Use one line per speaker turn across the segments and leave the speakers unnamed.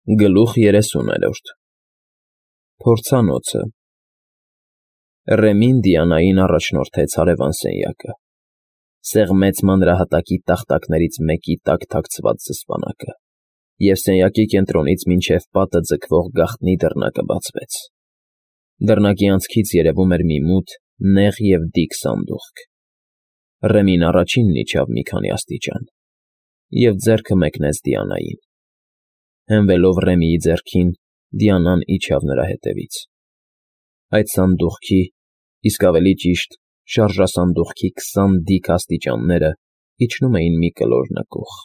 Գլուխ 30 Փորձանոցը Ռեմին Դիանային առաջնորդեց հարևան սենյակը, սեղմեց մանրահատակի տախտակներից մեկի տակ թաքցված զսպանակը, և սենյակի կենտրոնից մինչև պատը ձգվող գաղտնի դռնակը բացվեց. դռնակի անցքից երևում էր մի մութ, նեղ և դիք սանդուղք. Ռեմին առաջինն իջավ մի քանի աստիճան և ձեռքը մեկնեց Դիանային. հենվելով Ռեմիի ձեռքին, Դիանան իջավ նրա հետևից. այդ սանդուղքի, իսկ ավելի ճիշտ, շարժասանդուղքի 20 դիք աստիճանները իջնում էին մի կլոր նկուղ,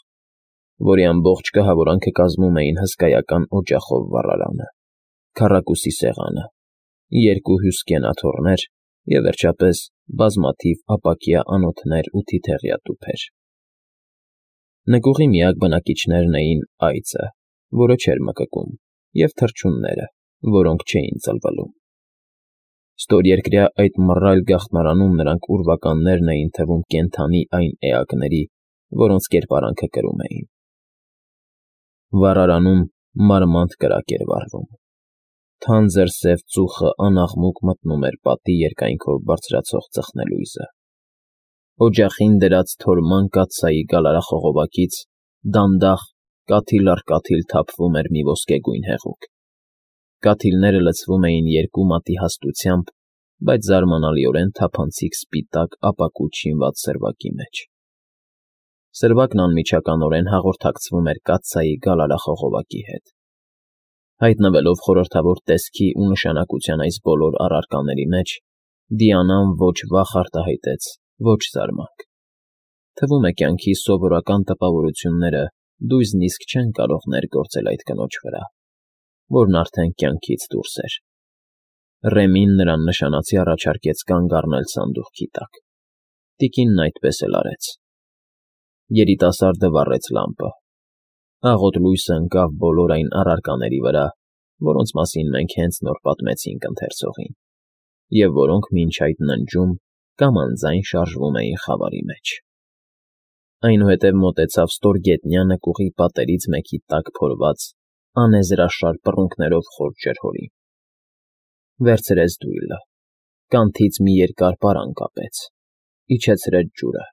որի ամբողջ կահավորանքը կազմում էին հսկայական օջախով վառարանը, քառակուսի սեղանը, երկու հյուսկեն աթոռներ և, վերջապես, բազմաթիվ ապակյա անոթներ ու թիթեղյա տուփեր. Նկուղի միակ բնակիչներն էին այծը, որը չէր մկկում, և թռչունները, որոնք չէին ծլվլում. Ստորերկրյա այդ մռայլ գաղտնարանում նրանք ուրվականներն էին թվում կենդանի այն էակների, որոնց կերպարանքը կրում էին. Վառարանում մարմանդ կրակ էր վառվում. թանձր սև ծուխը անաղմուկ մտնում էր պատի երկայնքով բարձրացող ծխնելույզը. օջախին դրած թորման կաթսայի գալարախողովակից դանդաղ կաթիլ առ կաթիլ թափվում էր մի ոսկեգույն հեղուկ. կաթիլները լցվում էին երկու մատի հաստությամբ, բայց զարմանալիորեն թափանցիկ սպիտակ ապակուճ շինված սրվակի մեջ. սրվակն անմիջականորեն հաղորդակցվում էր կաթսայի գալարախողովակի հետ. Հայտնվելով խորհրդավոր տեսքի ու նշանակության այս բոլոր առարկաների մեջ, Դիանան ոչ վախ արտահայտեց, ոչ զարմանք. թվում է կյանքի սովորական տպավորությունները դույզնիսկ չեն կարող ներգործել այդ կնոջ վրա, որն արդեն կյանքից դուրս էր. Ռեմին նրան նշանացի առաջարկեց կանգ առնել սանդուղքի տակ. տիկինն այդպես էլ արեց. երիտասարդը վառեց լամպը. աղոտ լույսը ընկավ բոլոր այն առարկաների վրա, որոնց մասին մենք հենց նոր պատմեցինք ընթերցողին, և որոնք մինչ այդ ննջում կամ անձայն շարժվում էին խավարի մեջ. այնուհետև մոտեցավ ստորգետնյա նկուղի պատերից մեկի տակ փորված, անեզրաշար պռունգներով խոր ջրհորին. վերցրեց դույլը, կանթից մի երկար պարան կապեց, իջեցրեց ջուրը,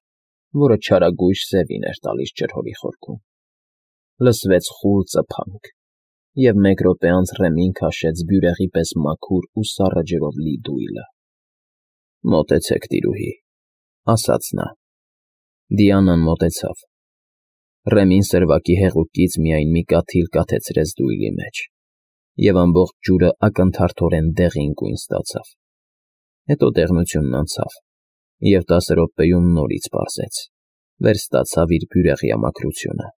որը չարագույժ սևին էր տալիս ջրհորի խորքում. լսվեց խուլ ծփանք, և մեկ րոպե անց Ռեմին քաշեց բյուրեղի պես մաքուր ու սառը ջրով լի դույլը. մոտեցեք, տիրուհի, ասաց նա. Դիանան մոտեցավ. Ռեմին սրվակի հեղուկից միայն մի կաթիլ կաթեցրեց դույլի մեջ, և ամբողջ ջուրը ակնթարթորեն դեղին գույն ստացավ. հետո դեղնությունն անցավ, և 10 րոպեում նորից պարզեց, վերստացավ իր բյուրեղյա մաքրությունը.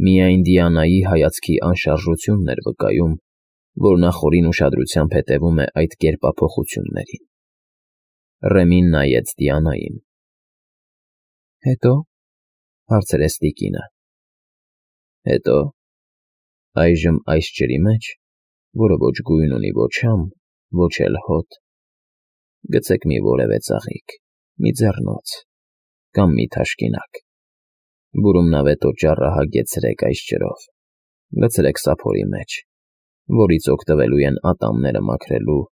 միայն Դիանայի հայացքի անշարժությունն էր վկայում, որ նա խորին ուշադրությամբ հետևում է այդ կերպափոխություններին. Ռեմին նայեց Դիանային. հետո, հարցրեց տիկինը. հետո, այժմ այս ջրի մեջ, որը ոչ գույն ունի, ոչ համ, ոչ էլ հոտ, գցեք մի որևէ ծաղիկ, մի ձեռնոց, կամ մի թաշկինակ, բուրումնավետ օճառը հագեցրեք այս ջրով, լցրեք սափորի մեջ, որից օգտվելու են ատամները մաքրելու,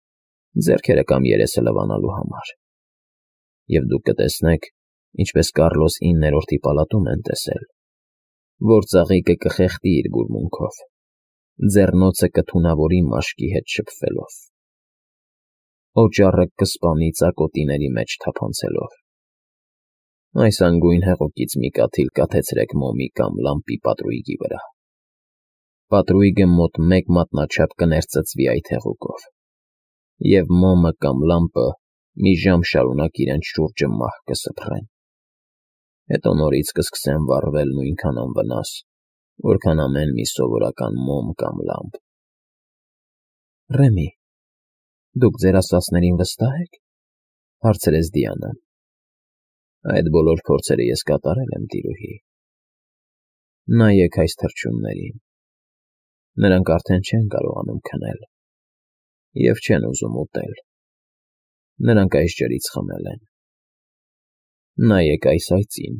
ձեռքերը կամ երեսը լվանալու համար, և դուք կտեսնեք, ինչպես Կառլոս 9-րդի պալատում են տեսել, որ ծաղիկը կխեղդի իր բուրմունքով, ձեռնոցը կթունավորի մաշկի հետ շփվելով, օճառը կսպանի ծակոտիների մեջ թափանցելով. այս անգույն հեղուկից մի կաթիլ կաթեցրեք մոմի կամ լամպի պատրույգի վրա. պատրույգը մոտ 1 մատնաչափ կներծծվի այդ հեղուկով, և մոմը կամ լամպը մի ժամ շարունակ իրենց շուրջը մահ կսփռեն. հետո նորից կսկսեն վառվել նույնքան անվնաս, որքան ամեն մի սովորական մոմ կամ լամպ. Ռեմի, դուք ձեր ասածներին վստահ եք, հարցրեց Դիանան. այդ բոլոր փորձերը ես կատարել եմ, տիրուհի. նայեք այս թռչուններին, նրանք արդեն չեն կարողանում քնել, և չեն ուզում ուտել, նրանք այս ջրից խմել են. նայեք այս այծին,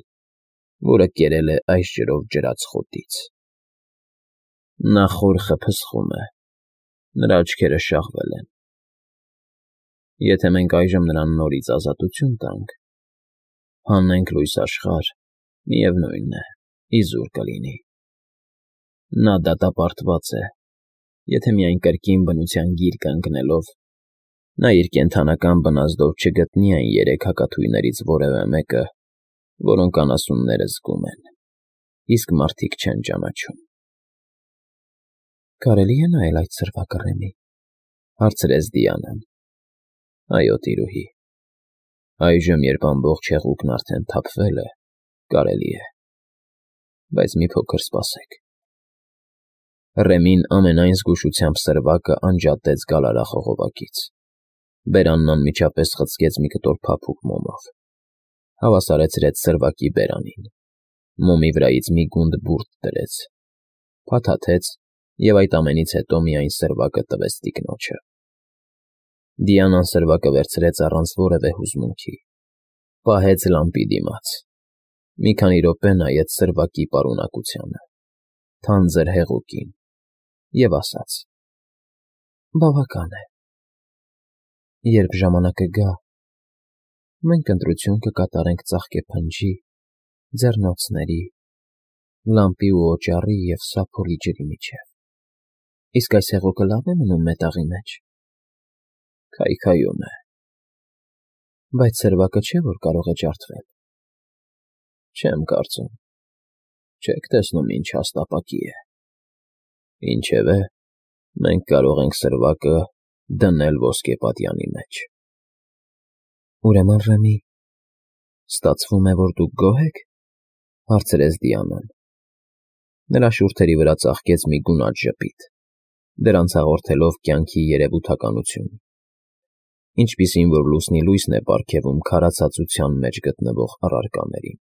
որը կերել է այս ջրով ջրած խոտից, Նա խորխը փսխում է, նրա աչքերը շաղվել են։ Եթե մենք այժմ նրան նորից ազատություն տանք, հանենք լույս աշխարհ, միևնույն է, իզուր կլինի։ Նա դատապարտված է, եթե միայն կրկին բնության գիրկը ընկնելով, նա իր կենդանական բնազդով չգտնի այն երեք հակաթույներից որևէ մեկը, որոնք անասունները զգում են, իսկ մարդիկ չեն ճանաչում։ Կարելի է նայել այդ սրվակը, Ռեմի, հարցրեց Դիանան։ Այո, տիրուհի, այժմ, երբ ամբողջ հեղուկն արդեն թափվել է, կարելի է, բայց մի փոքր սպասեք։ Ռեմին ամենայն զգուշությամբ սրվակը անջատեց գալարախողովակից։ Բերանն անմիջապես խցկեց մի կտոր փափուկ մոմով, հավասարեցրեց սրվակի բերանին, մոմի վրայից մի գունդ բուրդ դրեց, փաթաթեց և այդ ամենից հետո միայն սրվակը տվեց տիկնոջը։ Դիանան սրվակը վերցրեց առանց որևէ հուզմունքի, պահեց լամպի դիմաց, մի քանի րոպե նայեց սրվակի պարունակությանը, թանձր հեղուկին և ասաց. Բավական է։ Երբ ժամանակը գա, մենք ընտրություն կկատարենք ծաղկե փնջի, ձեռնոցների, լամպի ու օճառի և սափորի ջրի միջև։ Իսկ այս հեղուկը լավ է մնում մետաղի մեջ։ Քայքայում է։ Բայց սրվակը չէ, որ կարող է ջարդվել։ Չեմ կարծում։ Չեք տեսնում ինչ հաստապակի է։ Ինչևէ, մենք կարող ենք սրվակը դնել ոսկեպատյանի մեջ։ Ուրեմն, Ռեմի, ստացվում է, որ դուք գոհ եք, հարցրեց Դիանան։ Նրա շուրթերի վրա ծաղկեց մի գունատ ժպիտ, դրանց հաղորդելով կյանքի երևութականություն, ինչպիսին որ լուսնի լույսն է պարգևում քարացածության մեջ գտնվող առարկաներին։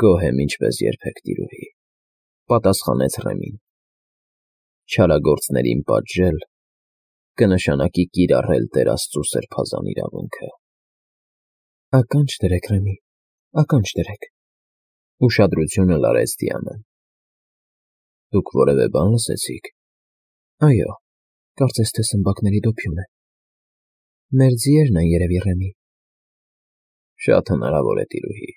Գոհ եմ ինչպես երբեք, տիրուհի, պատասխանեց Ռեմին։ Չարագործներին պատժել կնշանակի կիրառել Տեր Աստծու սրբազան իրավունքը։ Ականջ դրեք, Ռեմի, ականջ դրեք, ուշադրությունը լարեց Դիանան։ Դուք որևէ բան լսեցիք։ Այո, կարծես թե սմբակների դոփյուն է։ Մեր ձիերն են երևի, Ռեմի։ Շատ հնարավոր է, տիրուհի,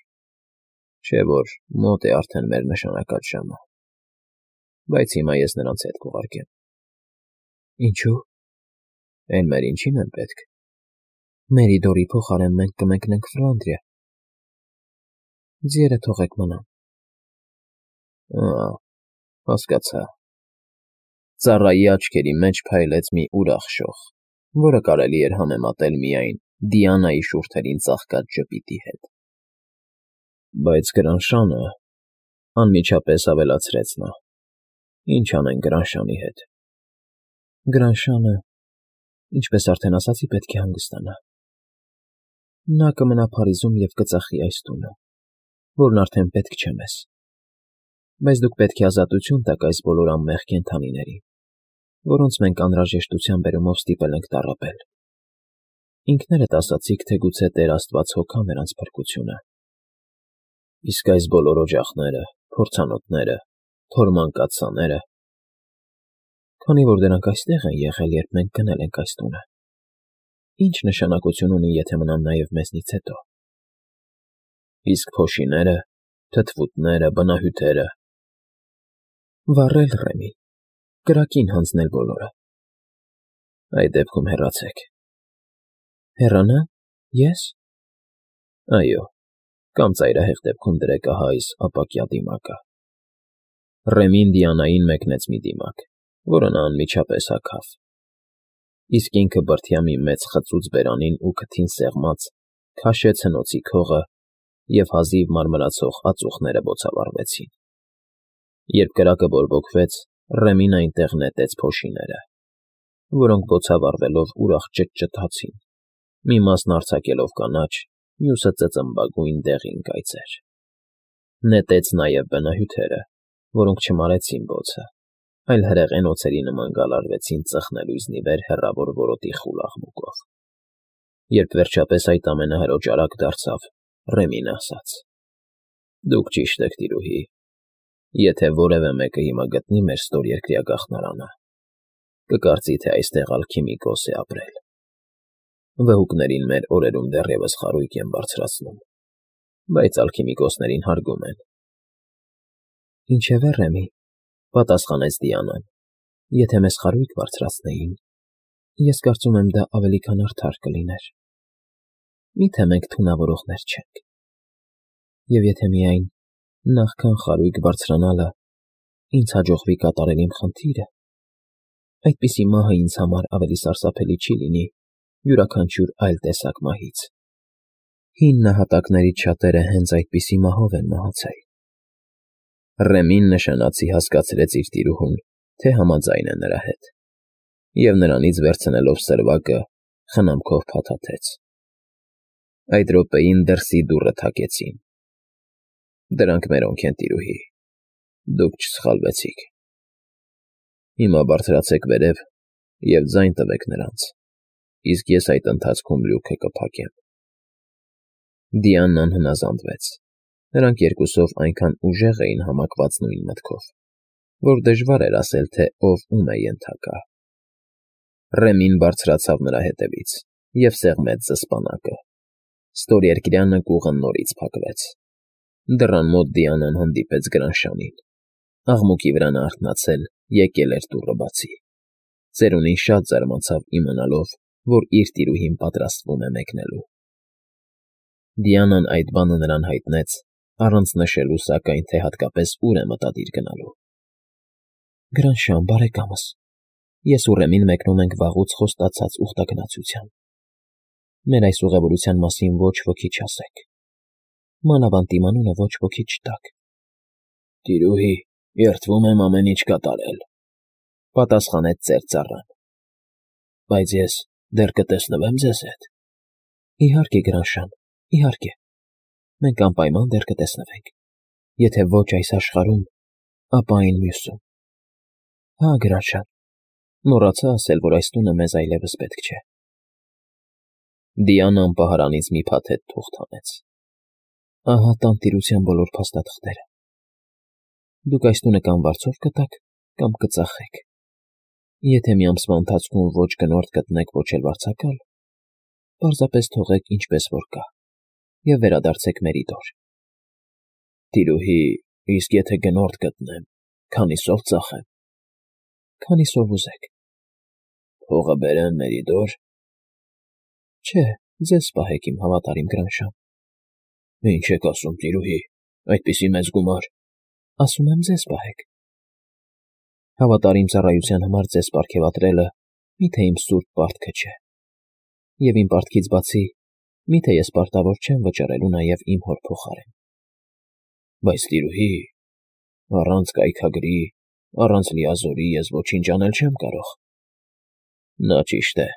չէ որ մոտ է արդեն մեր նշանակած ժամը, բայց հիմա ես նրանց հետ կուղարկեմ։ Ինչու՞։ Էլ մեր ինչին են պետք։ Մերիդորի փոխարեն մենք կմեկնենք Ֆլանդրիա։ Ձիերը թողեք մնան։ Հասկացա։ Ծառայի աչքերի մեջ փայլեց մի ուրախ շող, որը կարելի էր համեմատել միայն Դիանայի շուրթերին ծաղկած ժպիտի հետ։ Բայց Գրանշանը, անմիջապես ավելացրեց նա, ինչ անենք Գրանշանի հետ։ Գրանշանը, ինչպես արդեն ասացի, պետք է հանգստանա։ Նա կմնա Փարիզում և կծախի այս տունը, որն արդեն պետք չէ մեզ։ Բայց դուք պետք է ազատություն տաք այս բոլոր անմեղ կենդանիներին, որոնց մենք անհրաժեշտության բերումով ստիպել ենք տառապել։ Ինքներդ ասացիք, թե գուցե Տեր Աստված հոգա նրանց փրկությունը։ Իսկ այս բոլոր օջախները, փորձանոթները, թորմանկացաները… Քանի որ դրանք այստեղ են եղել, երբ մենք գնել ենք այս տունը, ինչ նշանակություն ունի, եթե մնան նաև մեզնից հետո։ Իսկ փոշիները, թթվուտները, բնահյութերը… Վառել, Ռեմի, կրակին հանձնել բոլորը։ Այդ դեպքում հեռացեք։ Հեռանա՞։ Ես։ Այո, կամ ծայրահեղ դեպքում դրեք ահա այս ապակյա դիմակը։ Ռեմին Դիանային մեկնեց մի դիմակ, որը նա անմիջապես հագավ։ Իսկ ինքը բրդյա մի մեծ խծուց բերանին ու քթին սեղմած քաշեց հնոցի քողը և հազիվ մարմրացող ածուխները բոցավառվեցին։ Երբ կրակը բորբոքվեց, Ռեմին այնտեղ նետեց փոշիները, որոնք բոցավառվելով ուրախ ճտճտացին, մի մասն արձակելով կանաչ, մյուսը ծծմբագույն դեղին կայծեր։ Նետեց նաև բնահյութերը, որոնք չմարեցին բոցը, այլ հրեղեն օձերի նման գալարվեցին ծխնելույզնի վեր հեռավոր որոտի խուլ աղմուկով։ Երբ վերջապես այդ ամենը հրոճարակ դարձավ, Ռեմին ասաց. Դուք ճիշտ եք, տիրուհի, Եթե որևէ մեկը հիմա գտնի մեր ստորերկրյա գաղթնարանը, կկարծի, թե այստեղ ալքիմիկոս է ապրել։ Վհուկներին մեր օրերում դեռևս խարույկ են բարձրացնում, բայց ալքիմիկոսներին հարգում են։ Ինչևէ, Ռեմի, պատասխանեց Դիանան, եթե մեզ խարույկ բարձրացնեին, ես կարծում եմ դա ավելի քան արդար կլիներ։ Միթե մենք թունավորողներ չենք։ Եվ եթե միայն նախքան խարույկ բարձրանալը ինձ հաջողվի կատարել իմ խնդիրը, այդպիսի մահը ինձ համար ավելի սարսափելի չի լինի յուրաքանչյուր այլ տեսակ մահից։ Հին նահատակներից շատերը հենց այդպիսի մահով են մահացել։ Ռեմին նշանացի հասկացրեց իր տիրուհուն, թե համաձայն է նրա հետ, և նրանից վերցնելով սրվակը, խնամքով փաթաթեց։ Այդ րոպեին դրսի դուռը թակեցին։ Դրանք մերոնք են, տիրուհի, դուք չսխալվեցիք։ Հիմա բարձրացեք վերև և ձայն տվեք նրանց, իսկ ես այդ ընթացքում լյուքը կփակեմ։ Դիանան հնազանդվեց։ Նրանք երկուսով այնքան ուժեղ էին համակված նույն մտքով, որ դժվար էր ասել, թե ով ում է ենթակա։ Ռեմին բարձրացավ նրա հետևից և սեղմեց զսպանակը։ Ստորերկրյանը կուղը նորից փակվեց։ Դռան մոտ Դիանան հանդիպեց Գրանշանին։ Աղմուկի վրա նա արթնացել, եկել էր դուռը բացի։ Ծերունին շատ զարմացավ իմանալով, որ իր տիրուհին պատրաստվում է մեկնելու։ Դիանան այդ բանը նրան հայտնեց, առանց նշելու, սակայն, թե հատկապես ուր է մտադիր գնալու։ Գրանշան, բարեկամս, ես ու Ռեմին մեկնում ենք վաղուց խոստացած ուխտագնացության։ Մեր այս ուղևորության մասին ոչ ոքի չասեք։ Մանավանդ իմ անունը ոչ ոքի չտաք։ Տիրուհի, երդվում եմ ամեն ինչ կատարել, պատասխանեց ծեր ծառան։ Բայց ես դեռ կտեսնվե՞մ ձեզ հետ։ Իհարկե, Գրանշան, իհարկե։ Մենք անպայման դեռ կտեսնվենք։ Եթե ոչ այս աշխարհում, ապա այն մյուսում։ Հա, Գրանշան, մոռացա ասել, որ այս տունը մեզ այլևս պետք չէ։ Դիանան պահարանից մի փաթեթ թուղթ հանեց։ Ահա տանտիրության բոլոր փաստաթղթերը։ Դուք այս տունը կամ վարձով կտաք, կամ կծախեք։ Եթե մի ամսվա ընթացքում ոչ գնորդ գտնեք, ոչ էլ վարձակալ, պարզապես թողեք ինչպես որ կա և վերադարձեք Մերիդոր։ Տիրուհի, իսկ եթե գնորդ գտնեմ, քանիսով ծախեմ։ Քանիսով ուզեք։ Փողը բերեմ Մերիդոր։ Չէ, ձեզ պահեք իմ հավատարիմ Գրանշան։ Ինչ եք ասում, տիրուհի, այդպիսի մեծ գումար։ Ասում եմ ձեզ պահեք։ Հավատարիմ ծառայության համար ձեզ պարգևատրելը միթե իմ սուրբ պարտքը չէ։ Եվ իմ պարտքից բացի, միթե ես պարտավոր չեմ վճռելու նաև իմ հոր փոխարեն։ Բայց տիրուհի, առանց կայքագրի, առանց լիազորի ես ոչինչ անել չեմ կարող։ Նա ճիշտ է,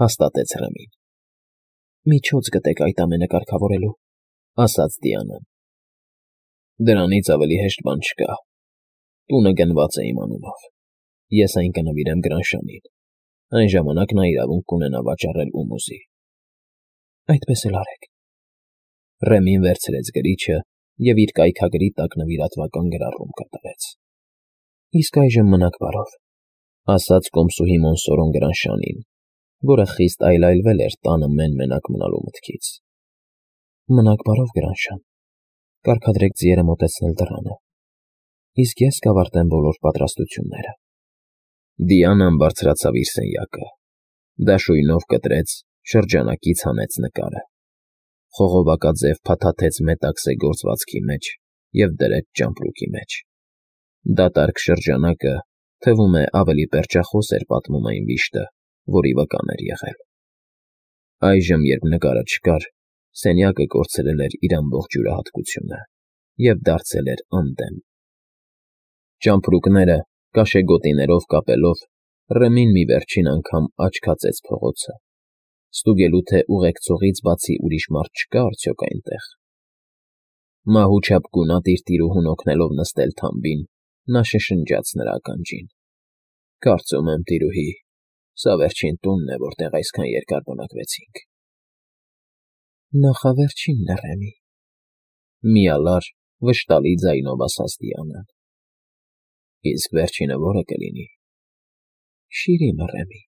հաստատեց Ռեմին։ Միջոց գտեք այդ ամենը կարգավորելու, ասաց Դիանան։ Դրանից ավելի հեշտ բան չկա։ Տունը գնված է իմ անունով։ Ես այն կնվիրեմ Գրանշանին։ Այն ժամանակ նա իրավունք կունենա վաճառել ում ուզի։ Այդպես էլ արեք։ Ռեմին վերցրեց գրիչը և իր կայքագրի տակ նվիրատվական գրառում կատարեց։ Իսկ այժմ մնաք բարով, ասաց կոմսուհի Մոնսորոն Գրանշանին, որը խիստ այլայլվել էր տանը մեն֊մենակ մնալու մտքից։ Մնաք բարով, Գրանշան, կարգադրեք ձիերը մոտեցնել դռանը, իսկ ես կավարտեմ բոլոր պատրաստությունները։ Դիանան բարձրացավ իր սենյակը, դաշույնով կտրեց, շրջանակից հանեց նկարը, խողովակաձև փաթաթեց մետաքսե գործվածքի մեջ և դրեց ճամպրուկի մեջ։ Դատարկ շրջանակը, թվում է, ավելի պերճախոս էր պատմում այն վիշտը, որի վկան էր եղել։ Այժմ, երբ նկարը չկար, սենյակը կորցրել էր իր ամբողջ յուրահատկությունը և դարձել էր անդեմ։ Ճամպրուկները կաշեգոտիներով կապելով, Ռեմին մի վերջին անգամ աչք հացեց փողոցը, ստուգելու, թե ուղեկցողից բացի ուրիշ մարդ չկա արդյոք այնտեղ։ Մահուչափ գունատ իր տիրուհուն օգնելով նստել թամբին, նա շշնջաց նրա ականջին. Կարծում եմ, տիրուհի, սա վերջին տունն է, որտեղ այսքան երկար բնակվեցինք։ Նախավերջինն է, Ռեմի, միալար վշտալի ձայնով ասաց Դիանան։ Իսկ վերջինը ո՞րը կլինի։ Շիրիմը, Ռեմի։